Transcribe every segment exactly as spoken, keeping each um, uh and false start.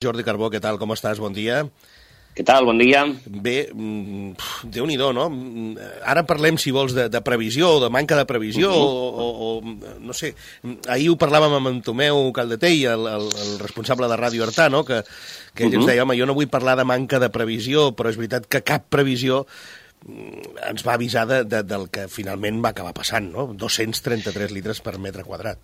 Jordi Carbó, què tal? Com estàs? Bon dia. Què tal? Bon dia. Bé, Déu-n'hi-do, no? Ara parlem, si vols, de, de previsió o de manca de previsió, uh-huh. o, o, o, no sé, ahir ho parlàvem amb en Tomeu Caldatell, el, el, el responsable de Ràdio Artà, no? que, que ell uh-huh. ens deia, home, jo no vull parlar de manca de previsió, però és veritat que cap previsió ens va avisar de, de, del que finalment va acabar passant, no? dos-cents trenta-tres litres per metre quadrat.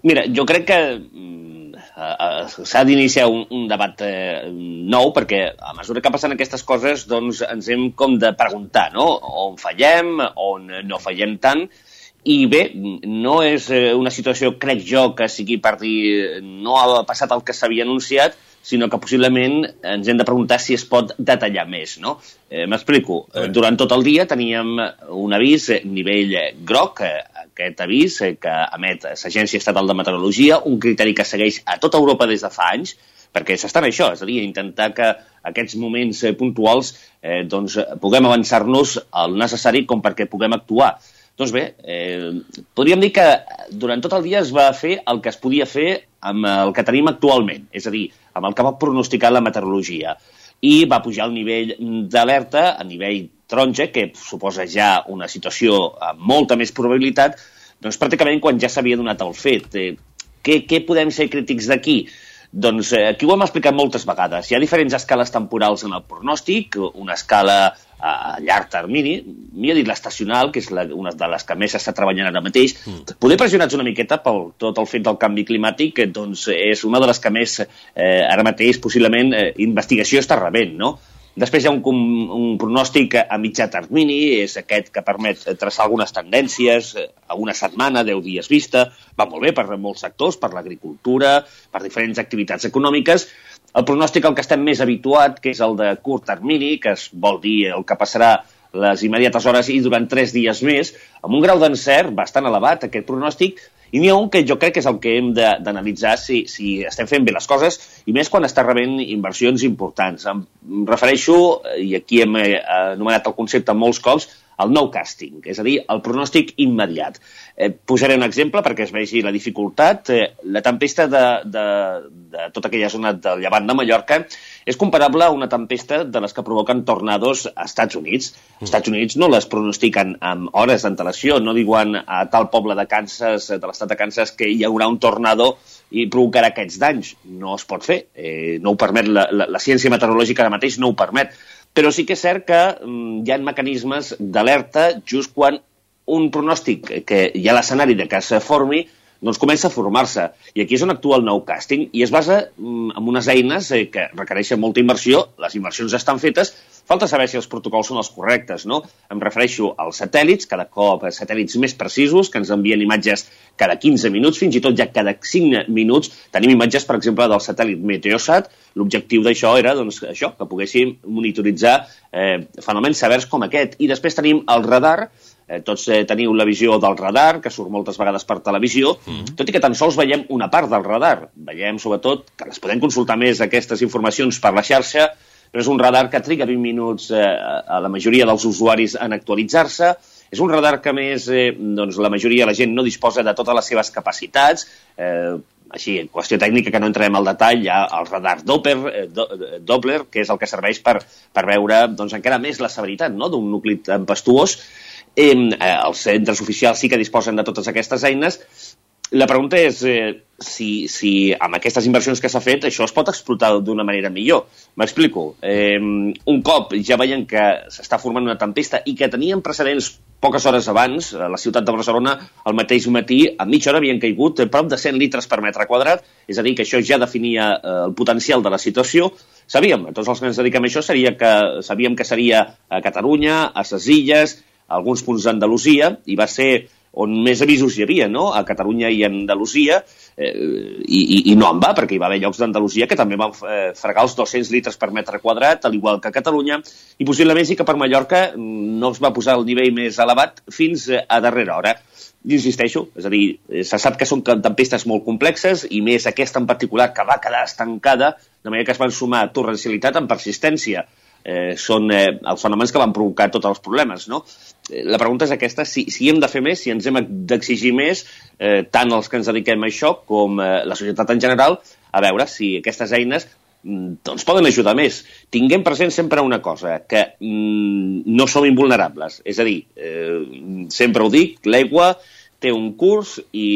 Mira, jo crec que uh, s'ha d'iniciar un, un debat uh, nou, perquè a mesura que passen aquestes coses doncs ens hem com de preguntar, no? On fallem, on no fallem tant, i bé, no és una situació, crec jo, que sigui per dir no ha passat el que s'havia anunciat, sinó que possiblement ens hem de preguntar si es pot detallar més, no? Eh, M'explico. Durant tot el dia teníem un avís nivell groc, aquest avís que emet l'Agència Estatal de Meteorologia, un criteri que segueix a tota Europa des de fa anys, perquè s'està en això, és a dir, intentar que aquests moments puntuals eh, doncs, puguem avançar-nos el necessari com perquè puguem actuar. Doncs bé, eh, podríem dir que durant tot el dia es va fer el que es podia fer amb el que tenim actualment, és a dir, amb el que va pronosticar la meteorologia. I va pujar el nivell d'alerta a nivell taronja, que suposa ja una situació amb molta més probabilitat, doncs pràcticament quan ja s'havia donat el fet. Eh, què, què podem ser crítics d'aquí? Doncs eh, aquí ho hem explicat moltes vegades. Hi ha diferents escales temporals en el pronòstic, una escala a llarg termini, millor dit l'estacional, que és la, una de les que més s'està treballant ara mateix. Mm. Poder pressionats una miqueta pel tot el fet del canvi climàtic, doncs és una de les que més eh, ara mateix possiblement eh, investigació està rebent, no? Després hi ha un, un pronòstic a mitjà termini, és aquest que permet traçar algunes tendències a una setmana, deu dies vista, va molt bé per molts sectors, per l'agricultura, per diferents activitats econòmiques. El pronòstic al que estem més habituat, que és el de curt termini, que es vol dir el que passarà les immediates hores i durant tres dies més, amb un grau d'encert bastant elevat, aquest pronòstic, i n'hi ha un que jo crec que és el que hem d'analitzar si, si estem fent bé les coses, i més quan està rebent inversions importants. Em refereixo, i aquí hem anomenat el concepte molts cops, el nowcasting, és a dir, el pronòstic immediat. Eh, posaré un exemple perquè es vegi la dificultat. Eh, la tempesta de, de, de tota aquella zona del llevant de Mallorca és comparable a una tempesta de les que provoquen tornados als Estats Units. Els Estats Units no les pronostiquen amb hores d'antelació, no diuen a tal poble de Kansas, de l'estat de Kansas, que hi haurà un tornado i provocarà aquests danys. No es pot fer, eh, no ho permet, la, la, la ciència meteorològica ara mateix no ho permet. Però sí que és cert que mm, hi ha mecanismes d'alerta just quan un pronòstic que hi ha l'escenari de que es formi doncs comença a formar-se. I aquí és on actua el nowcasting i es basa mm, en unes eines eh, que requereixen molta inversió, les inversions estan fetes, falta saber si els protocols són els correctes, no? Em refereixo als satèl·lits, cada cop satèl·lits més precisos, que ens envien imatges cada quinze minuts, fins i tot ja cada cinc minuts. Tenim imatges, per exemple, del satèl·lit Meteosat. L'objectiu d'això era doncs, això, que poguéssim monitoritzar eh, fenòmens severs com aquest. I després tenim el radar. Eh, tots eh, teniu la visió del radar, que surt moltes vegades per televisió, mm. tot i que tan sols veiem una part del radar. Veiem, sobretot, que les podem consultar més, aquestes informacions, per la xarxa, però és un radar que triga vint minuts eh, a la majoria dels usuaris en actualitzar-se. És un radar que, a més, eh, doncs, la majoria de la gent no disposa de totes les seves capacitats. Eh, així, en qüestió tècnica, que no entrem al detall, hi ha el radar Doppler, eh, do, Doppler que és el que serveix per, per veure doncs, encara més la severitat, no?, d'un nucli tempestuós. Eh, els centres oficials sí que disposen de totes aquestes eines. La pregunta és eh, si, si amb aquestes inversions que s'ha fet això es pot explotar d'una manera millor. M'explico. Eh, un cop ja veiem que s'està formant una tempesta i que teníem precedents poques hores abans, a la ciutat de Barcelona, al mateix matí, a mitja hora havien caigut prop de cent litres per metre quadrat, és a dir, que això ja definia eh, el potencial de la situació. Sabíem, tots els que ens dediquem a això, seria que, sabíem que seria a Catalunya, a les Illes, a alguns punts d'Andalusia, i va ser on més avisos hi havia, no?, a Catalunya i a Andalusia, eh, i, i, i no en va, perquè hi va haver llocs d'Andalusia que també van eh, fregar els dos-cents litres per metre quadrat, al igual que a Catalunya, i possiblement sí que per Mallorca no es va posar el nivell més elevat fins a darrera hora. I insisteixo, és a dir, se sap que són tempestes molt complexes, i més aquesta en particular, que va quedar estancada, de manera que es van sumar torrencialitat amb persistència. Eh, són eh, els fenòmens que van provocar tots els problemes, no? Eh, la pregunta és aquesta, si, si hem de fer més, si ens hem d'exigir més, eh, tant els que ens dediquem a això com eh, la societat en general, a veure si aquestes eines doncs poden ajudar més. Tinguem present sempre una cosa, que mm, no som invulnerables. És a dir, eh, sempre ho dic, l'aigua té un curs i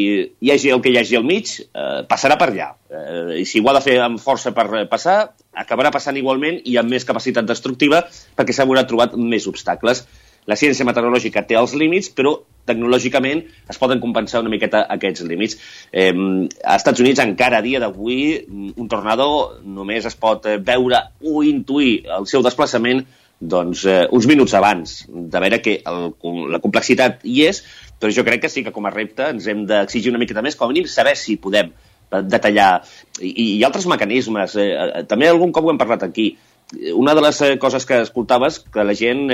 hi hagi el que hi hagi al mig, eh, passarà per allà. Eh, I si ho ha de fer amb força per passar, acabarà passant igualment i amb més capacitat destructiva perquè s'haurà trobat més obstacles. La ciència meteorològica té els límits, però tecnològicament es poden compensar una miqueta aquests límits. Eh, als Estats Units, encara a dia d'avui, un tornado només es pot veure o intuir el seu desplaçament doncs, eh, uns minuts abans, de veure que el, la complexitat hi és, però jo crec que sí que com a repte ens hem d'exigir una miqueta més, com a mínim saber si podem detallar. I, i altres mecanismes, eh, també algun cop ho hem parlat aquí. Una de les coses que escoltaves, que la gent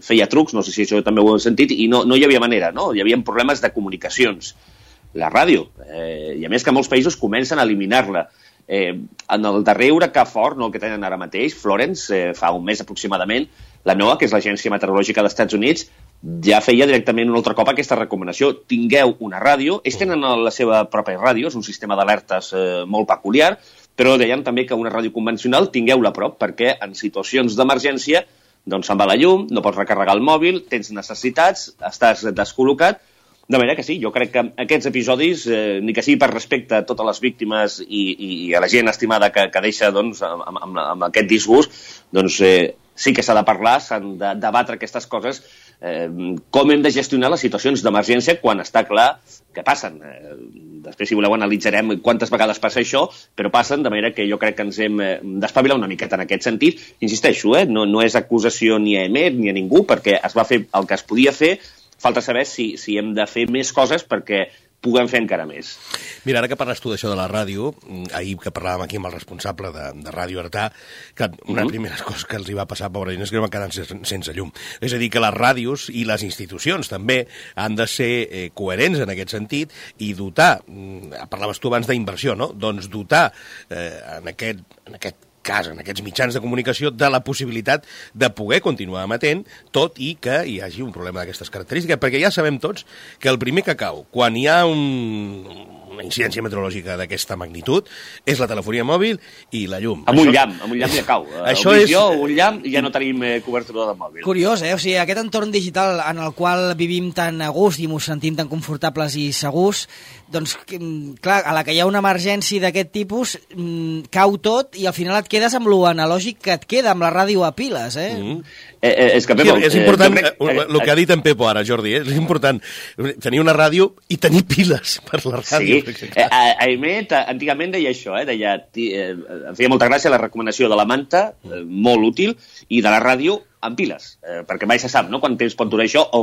feia trucs, no sé si això també ho heu sentit, i no, no hi havia manera, no? Hi havia problemes de comunicacions. La ràdio, eh, i a més que molts països comencen a eliminar-la. Eh, en el darrer huracà fort, no el que tenen ara mateix, Florence, eh, fa un mes aproximadament, la NOAA, que és l'Agència Meteorològica dels Estats Units, ja feia directament un altre cop aquesta recomanació. Tingueu una ràdio, ells tenen la seva pròpia ràdio, és un sistema d'alertes eh, molt peculiar, però deien també que una ràdio convencional tingueu-la a prop, perquè en situacions d'emergència doncs se'n va la llum, no pots recarregar el mòbil, tens necessitats, estàs descol·locat. De manera que sí, jo crec que aquests episodis, eh, ni que sigui per respecte a totes les víctimes i, i, i a la gent estimada que, que deixa doncs, amb, amb, amb aquest disgust, doncs eh, sí que s'ha de parlar, s'han de debatre aquestes coses, eh, com hem de gestionar les situacions d'emergència quan està clar que passen. Eh, després, si voleu, analitzarem quantes vegades passa això, però passen, de manera que jo crec que ens hem d'espavilar una miqueta en aquest sentit. Insisteixo, eh, no, no és acusació ni a Emet ni a ningú, perquè es va fer el que es podia fer. Falta saber si, si hem de fer més coses perquè puguem fer encara més. Mira, ara que parles tu d'això de la ràdio, ahir que parlàvem aquí amb el responsable de, de Ràdio Artà, que una de les primeres coses que els hi va passar, pobra gent, és que van quedar sense, sense llum. És a dir, que les ràdios i les institucions també han de ser eh, coherents en aquest sentit i dotar, parlaves tu abans d'inversió, no? Doncs dotar eh, en aquest, en aquest cas, en aquests mitjans de comunicació, de la possibilitat de poder continuar emetent, tot i que hi hagi un problema d'aquestes característiques, perquè ja sabem tots que el primer que cau, quan hi ha un, una incidència meteorològica d'aquesta magnitud, és la telefonia mòbil i la llum. Amb un llamp, amb un llamp ja cau. Això és... és... un llamp i ja no tenim eh, cobertura de mòbil. Curiós, eh? O sigui, aquest entorn digital en el qual vivim tan a gust i ens sentim tan confortables i segurs, doncs, clar, a la que hi ha una emergència d'aquest tipus, cau tot i al final et quedes amb lo analògic que et queda, amb la ràdio a piles, eh? Mm. Eh, eh, és que, Pepo, sí, és important, eh, crec... el que ha dit en Pepo ara, Jordi, eh? És important tenir una ràdio i tenir piles per la ràdio. Sí, eh, a, a Emet antigament deia això, eh? Deia, eh, em feia molta gràcia la recomanació de la manta, eh, molt útil, i de la ràdio amb piles, eh, perquè mai se sap, no?, quant temps pot durar això o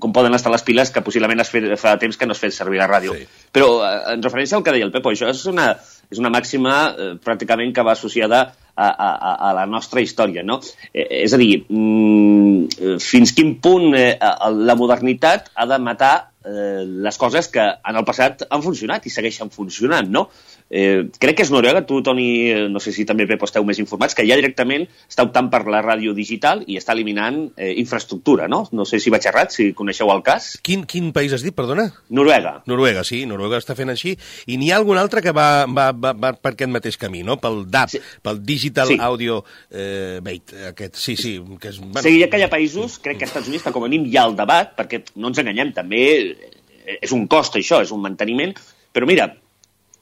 com poden estar les piles que possiblement es fe, fa temps que no es fet servir la ràdio. Sí. Però eh, en referència al que deia el Pepo, això és una, és una màxima eh, pràcticament que va associada a, a, a la nostra història, no? Eh, és a dir, mm, fins quin punt eh, la modernitat ha de matar eh, les coses que en el passat han funcionat i segueixen funcionant, no? Eh, crec que és Noruega, tu, Toni, no sé si també Pepo esteu més informats, que ja directament està optant per la ràdio digital i està eliminant eh, infraestructura, no? No sé si vaig errat, si coneixeu el cas. Quin, quin país has dit, perdona? Noruega. Noruega, sí, Noruega està fent així. I n'hi ha algun altre que va, va, va, va per aquest mateix camí, no? Pel D A B, sí. Pel Digital sí. Audio eh, Bait, aquest, sí, sí. Que és, bueno... Sí, que hi ha països, crec que als Estats Units, que com a mínim hi ha el debat, perquè no ens enganyem, també és un cost això, és un manteniment, però mira,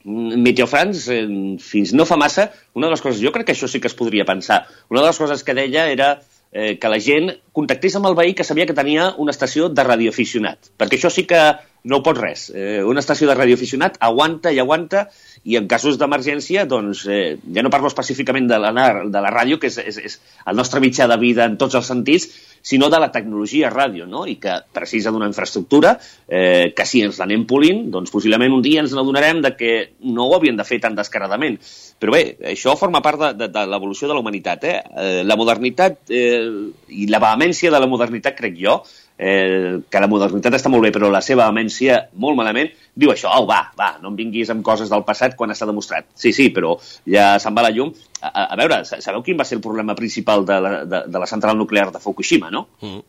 Meteo France, eh, fins no fa massa, una de les coses, jo crec que això sí que es podria pensar, una de les coses que deia era eh, que la gent contactés amb el veí que sabia que tenia una estació de radioaficionat, perquè això sí que no ho pot res. Eh, una estació de radioaficionat aguanta i aguanta, i en casos d'emergència, doncs, eh, ja no parlo específicament de la, de la ràdio, que és, és, és el nostre mitjà de vida en tots els sentits, sinó de la tecnologia ràdio, no? I que precisa d'una infraestructura eh, que si ens l'anem polint, doncs possiblement un dia ens n'adonarem de que no ho havien de fer tan descaradament. Però bé, això forma part de, de, de l'evolució de la humanitat. Eh? Eh, la modernitat eh, i la vehemència de la modernitat, crec jo, eh, que la modernitat està molt bé, però la seva vehemència molt malament, diu això, au, va, va, no em vinguis amb coses del passat quan està demostrat. Sí, sí, però ja se'n va la llum. A, a, a veure, sabeu quin va ser el problema principal de la, de, de la central nuclear de Fukushima, no? Mm.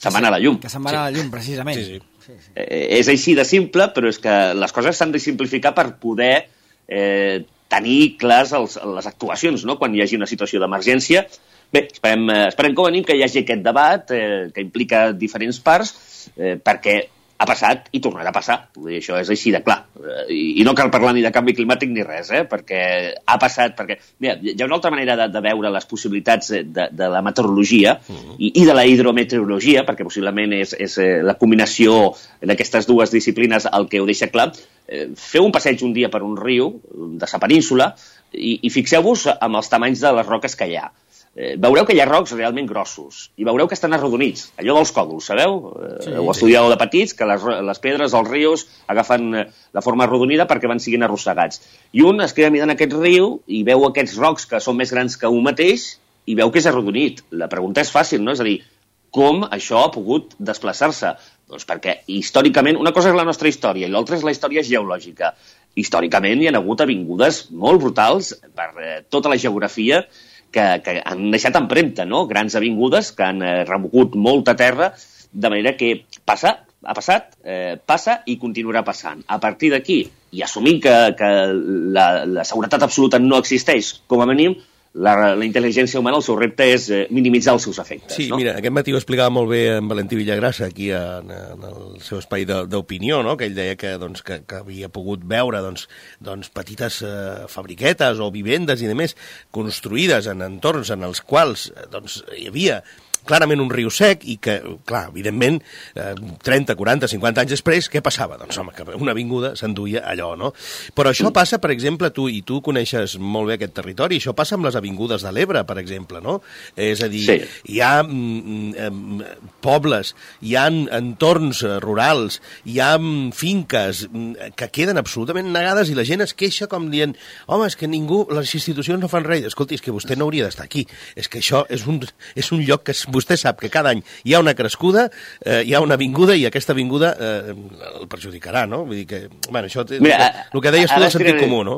Se'n va anar a la llum. Que se'n va anar a la llum, precisament. Sí, sí. Sí, sí. Eh, és així de simple, però és que les coses s'han de simplificar per poder eh, tenir clars els, les actuacions, no?, quan hi hagi una situació d'emergència. Bé, esperem, esperem com a mínim que hi hagi aquest debat eh, que implica diferents parts, eh, perquè ha passat i tornarà a passar. Vull dir, això és així de clar. I, i no cal parlar ni de canvi climàtic ni res, eh? Perquè ha passat... Perquè, mira, hi ha una altra manera de, de veure les possibilitats de, de la meteorologia uh-huh. i, i de la hidrometeorologia, perquè possiblement és, és la combinació d'aquestes dues disciplines el que ho deixa clar. Eh, feu un passeig un dia per un riu de sa península i, i fixeu-vos amb els tamanys de les roques que hi ha. Eh, veureu que hi ha rocs realment grossos i veureu que estan arrodonits, allò dels còdols, sabeu? Sí, eh, ho estudieu de petits, que les, les pedres, els rius, agafen la forma arrodonida perquè van siguin arrossegats. I un es queda mirant aquest riu i veu aquests rocs que són més grans que un mateix i veu que és arrodonit. La pregunta és fàcil, no? És a dir, com això ha pogut desplaçar-se? Doncs perquè històricament, una cosa és la nostra història i l'altra és la història geològica. Històricament hi ha hagut avingudes molt brutals per eh, tota la geografia que, que han deixat empremta, no? Grans avingudes que han eh, remogut molta terra, de manera que passa, ha passat, eh, passa i continuarà passant. A partir d'aquí, i assumint que, que la, la seguretat absoluta no existeix, com a mínim, la, la intel·ligència humana, el seu repte és eh, minimitzar els seus efectes. Sí, no? Mira, aquest matí ho explicava molt bé en Valentí Villagrasa, aquí en, en el seu espai d'opinió, no? Que ell deia que, doncs, que, que havia pogut veure doncs, doncs, petites eh, fabriquetes o vivendes i demés construïdes en entorns en els quals doncs, hi havia clarament un riu sec i que, clar, evidentment, eh, trenta, quaranta, cinquanta anys després, què passava? Doncs, home, que una avinguda s'enduia allò, no? Però això passa, per exemple, tu, i tu coneixes molt bé aquest territori, això passa amb les avingudes de l'Ebre, per exemple, no? És a dir, sí. hi ha mm, mm, pobles, hi ha entorns rurals, hi ha mm, finques mm, que queden absolutament negades i la gent es queixa com dient, home, és que ningú, les institucions no fan res. Escolti, és que vostè no hauria d'estar aquí. És que això és un, és un lloc que és vostè sap que cada any hi ha una crescuda, eh, hi ha una avinguda i aquesta avinguda eh, el perjudicarà, no? Vull dir que, bueno, això, Mira, el, el que deies tu del sentit comú, no?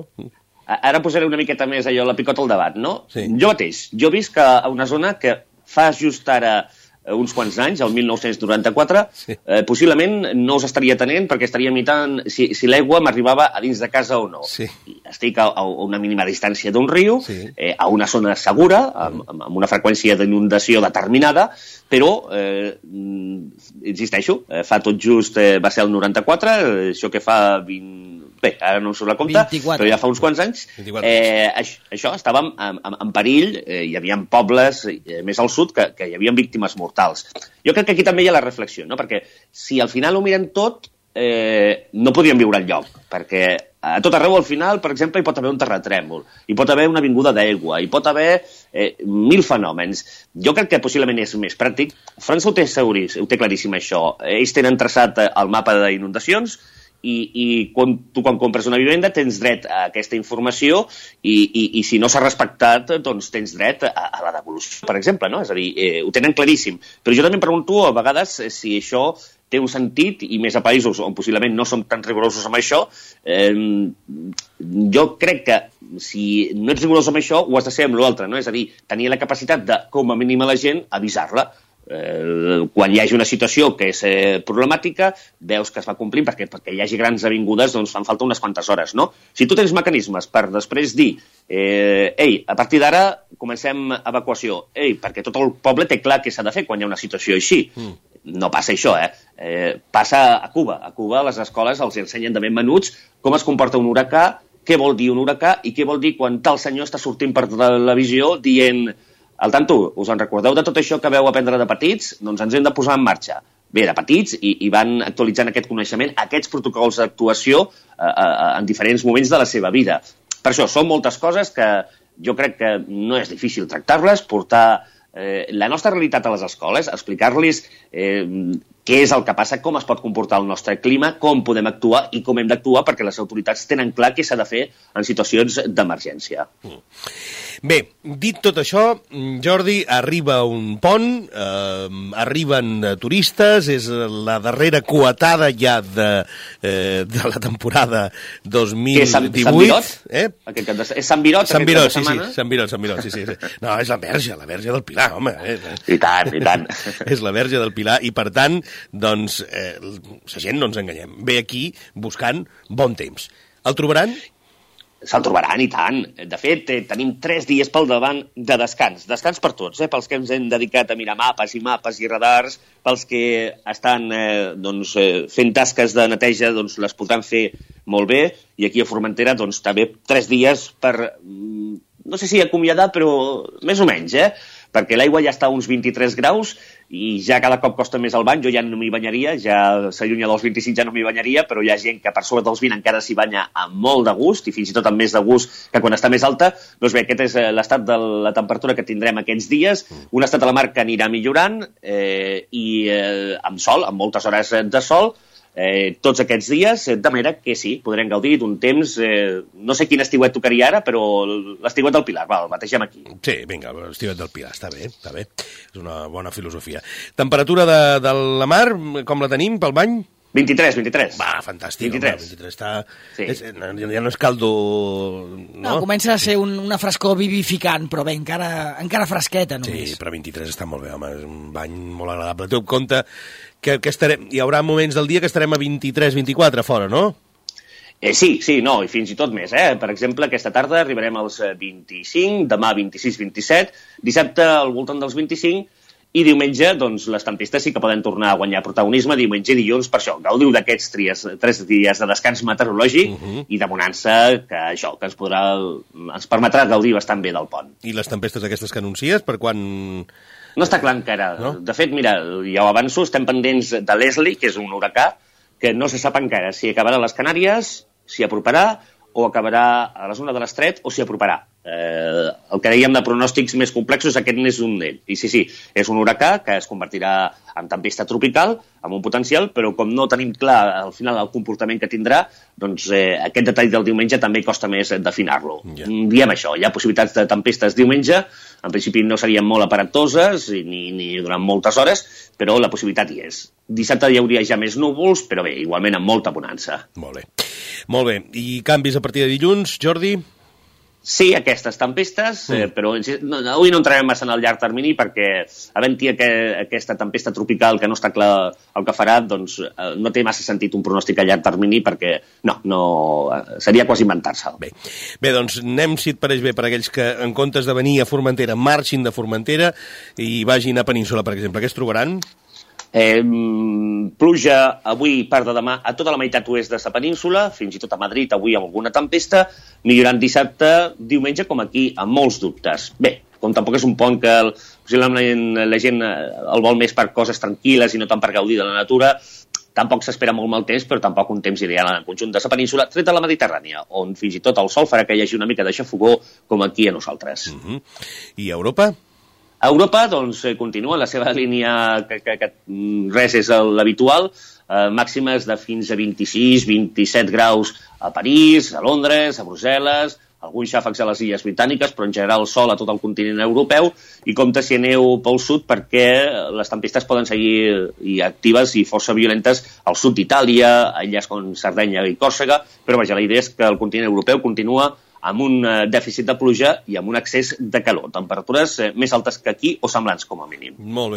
Ara posaré una miqueta més allò, la picota al debat, no? Sí. Jo mateix, jo visc a una zona que fa just ara uns quants anys, el mil nou-cents noranta-quatre, sí. eh, possiblement no us estaria tenent perquè estaria imitant si, si l'aigua m'arribava a dins de casa o no. Sí. Estic a, a una mínima distància d'un riu, sí. eh, a una zona segura, amb, amb una freqüència d'inundació determinada, però, eh, insisteixo, eh, fa tot just, eh, va ser el noranta-quatre, eh, això que fa vint... Bé, ara no em surt la compta, vint-i-quatre. Però ja fa uns quants anys, eh, això, això estàvem en, en, en perill, eh, hi havia pobles eh, més al sud que, que hi havia víctimes mortals. Jo crec que aquí també hi ha la reflexió, no? Perquè si al final ho mirem tot, eh, no podríem viure al lloc, perquè a tot arreu al final, per exemple, hi pot haver un terratrèmol, hi pot haver una avinguda d'aigua, hi pot haver eh, mil fenòmens. Jo crec que possiblement és més pràctic. França ho té, seguris, ho té claríssim, això. Ells tenen traçat el mapa d'inundacions, i, i quan, tu quan compres una vivenda tens dret a aquesta informació i, i, i si no s'ha respectat doncs tens dret a, a la devolució, per exemple, no? És a dir, eh, ho tenen claríssim. Però jo també em pregunto a vegades si això té un sentit, i més a països on possiblement no som tan rigorosos amb això, eh, jo crec que si no ets rigorós amb això ho has de ser amb l'altre, no? És a dir, tenir la capacitat de, com a mínim a la gent, avisar-la. Eh, quan hi hagi una situació que és eh, problemàtica, veus que es va complint, perquè perquè hi hagi grans avingudes doncs fan falta unes quantes hores, no? Si tu tens mecanismes per després dir eh, ei, a partir d'ara comencem evacuació, ei, perquè tot el poble té clar què s'ha de fer quan hi ha una situació així. Mm. No passa això, eh? eh? Passa a Cuba. A Cuba a les escoles els ensenyen de ben menuts com es comporta un huracà, què vol dir un huracà i què vol dir quan tal senyor està sortint per televisió dient al tanto, us en recordeu de tot això que veu aprendre de petits? Doncs ens hem de posar en marxa. Bé, de petits, i, i van actualitzant aquest coneixement, aquests protocols d'actuació eh, eh, en diferents moments de la seva vida. Per això, són moltes coses que jo crec que no és difícil tractar-les, portar eh, la nostra realitat a les escoles, explicar-los eh, què és el que passa, com es pot comportar el nostre clima, com podem actuar i com hem d'actuar perquè les autoritats tenen clar què s'ha de fer en situacions d'emergència. Mm. Bé, dit tot això, Jordi, arriba un pont, eh, arriben turistes, és la darrera coetada ja de, eh, de la temporada dos mil divuit. Sant, Sant Virot? Eh? Aquest, és Sant Virot? Sant Virot, sí, sí, Sant Virot, Sant Virot, sí, sí, sí. No, és la Verge, la Verge del Pilar, home. Eh? I tant, i tant. És la Verge del Pilar i, per tant, doncs, eh, la gent no ens enganyem. Ve aquí buscant bon temps. El trobaran? se'l trobaran, i tant. De fet, eh, tenim tres dies pel davant de descans. Descans per tots, eh? Pels que ens hem dedicat a mirar mapes i mapes i radars, pels que estan eh, doncs, eh, fent tasques de neteja, doncs les podran fer molt bé, i aquí a Formentera doncs, també tres dies per, no sé si acomiadar, però més o menys, eh? Perquè l'aigua ja està a uns vint-i-tres graus i ja cada cop costa més el bany. Jo ja no m'hi banyaria, ja s'allunya dels vint-i-cinc, ja no m'hi banyaria, però hi ha gent que per sobre dels vint encara s'hi banya amb molt de gust, i fins i tot amb més de gust que quan està més alta. Doncs bé, aquest és l'estat de la temperatura que tindrem aquests dies, un estat de la mar que anirà millorant, eh, i eh, amb sol, amb moltes hores de sol, Eh, tots aquests dies, de manera que sí, podrem gaudir d'un temps, eh, no sé quin estiuet tocaria ara, però l'estiuet del Pilar, va, el bategem aquí. Sí, vinga, l'estiuet del Pilar, està bé, està bé, és una bona filosofia. Temperatura de, de la mar, com la tenim pel bany? vint-i-tres, vint-i-tres. Va, fantàstic, vint-i-tres. Home, vint-i-tres està... Sí. És, ja no és caldo... No, no comença a ser un, una frescor vivificant, però bé, encara, encara fresqueta només. Sí, però vint-i-tres està molt bé, home, és un bany molt agradable. Teniu en compte que, que estarem, hi haurà moments del dia que estarem a vint-i-tres, vint-i-quatre fora, no? Eh, sí, sí, no, i fins i tot més, eh? Per exemple, aquesta tarda arribarem als vint-i-cinc, demà vint-i-sis, vint-i-set, dissabte al voltant dels vint-i-cinc, i diumenge, doncs, les tempestes sí que poden tornar a guanyar protagonisme, diumenge i dilluns, per això, gaudiu d'aquests tres dies de descans meteorològic uh -huh. i de bonança, que això, que ens podrà, ens permetrà gaudir bastant bé del pont. I les tempestes aquestes que anuncies, per quan... No està clar encara. No? De fet, mira, ja ho avanço, estem pendents de Leslie, que és un huracà, que no se sap encara si acabarà a les Canàries, si aproparà, o acabarà a la zona de l'Estret, o s'hi aproparà. Eh, el que dèiem de pronòstics més complexos, aquest n'és un d'ell. I sí, sí, és un huracà que es convertirà en tempesta tropical, amb un potencial, però com no tenim clar al final el comportament que tindrà, doncs eh, aquest detall del diumenge també costa més d'afinar-lo. Yeah. Diem això, hi ha possibilitats de tempestes diumenge, en principi no serien molt aparatoses ni, ni durant moltes hores, però la possibilitat hi és. Dissabte hi hauria ja més núvols, però bé, igualment amb molta bonança. Molt bé. Molt bé. I canvis a partir de dilluns, Jordi? Sí, aquestes tempestes, eh, però no, avui no entrarem massa en el llarg termini perquè havent-hi aqu aquesta tempesta tropical que no està clar el que farà, doncs eh, no té massa sentit un pronòstic a llarg termini perquè no, no seria quasi inventar-se'l. Bé. Bé, doncs anem, si et pareix bé, per aquells que en comptes de venir a Formentera marxin de Formentera i vagin a Península, per exemple. Què es trobaran? Eh, pluja avui, part de demà, a tota la meitat oest de la península, fins i tot a Madrid avui amb alguna tempesta, millorant dissabte, diumenge, com aquí, amb molts dubtes. Bé, com tampoc és un pont que el, possiblement la gent el vol més per coses tranquil·les i no tant per gaudir de la natura, tampoc s'espera molt mal temps, però tampoc un temps ideal en el conjunt de la península, tret de la Mediterrània, on fins i tot el sol farà que hi hagi una mica de xafogó, com aquí a nosaltres. Uh-huh. I a Europa? A Europa, doncs, continua la seva línia, que, que, que res és l'habitual, eh, màximes de fins a vint-i-sis, vint-i-set graus a París, a Londres, a Brussel·les, alguns xàfecs a les Illes Britàniques, però en general sol a tot el continent europeu, i compte si aneu pel sud perquè les tempestes poden seguir i actives i força violentes al sud d'Itàlia, a illes com Sardenya i Còrsega, però vaja, la idea és que el continent europeu continua amb un dèficit de pluja i amb un excés de calor. Temperatures més altes que aquí o semblants, com a mínim. Molt bé.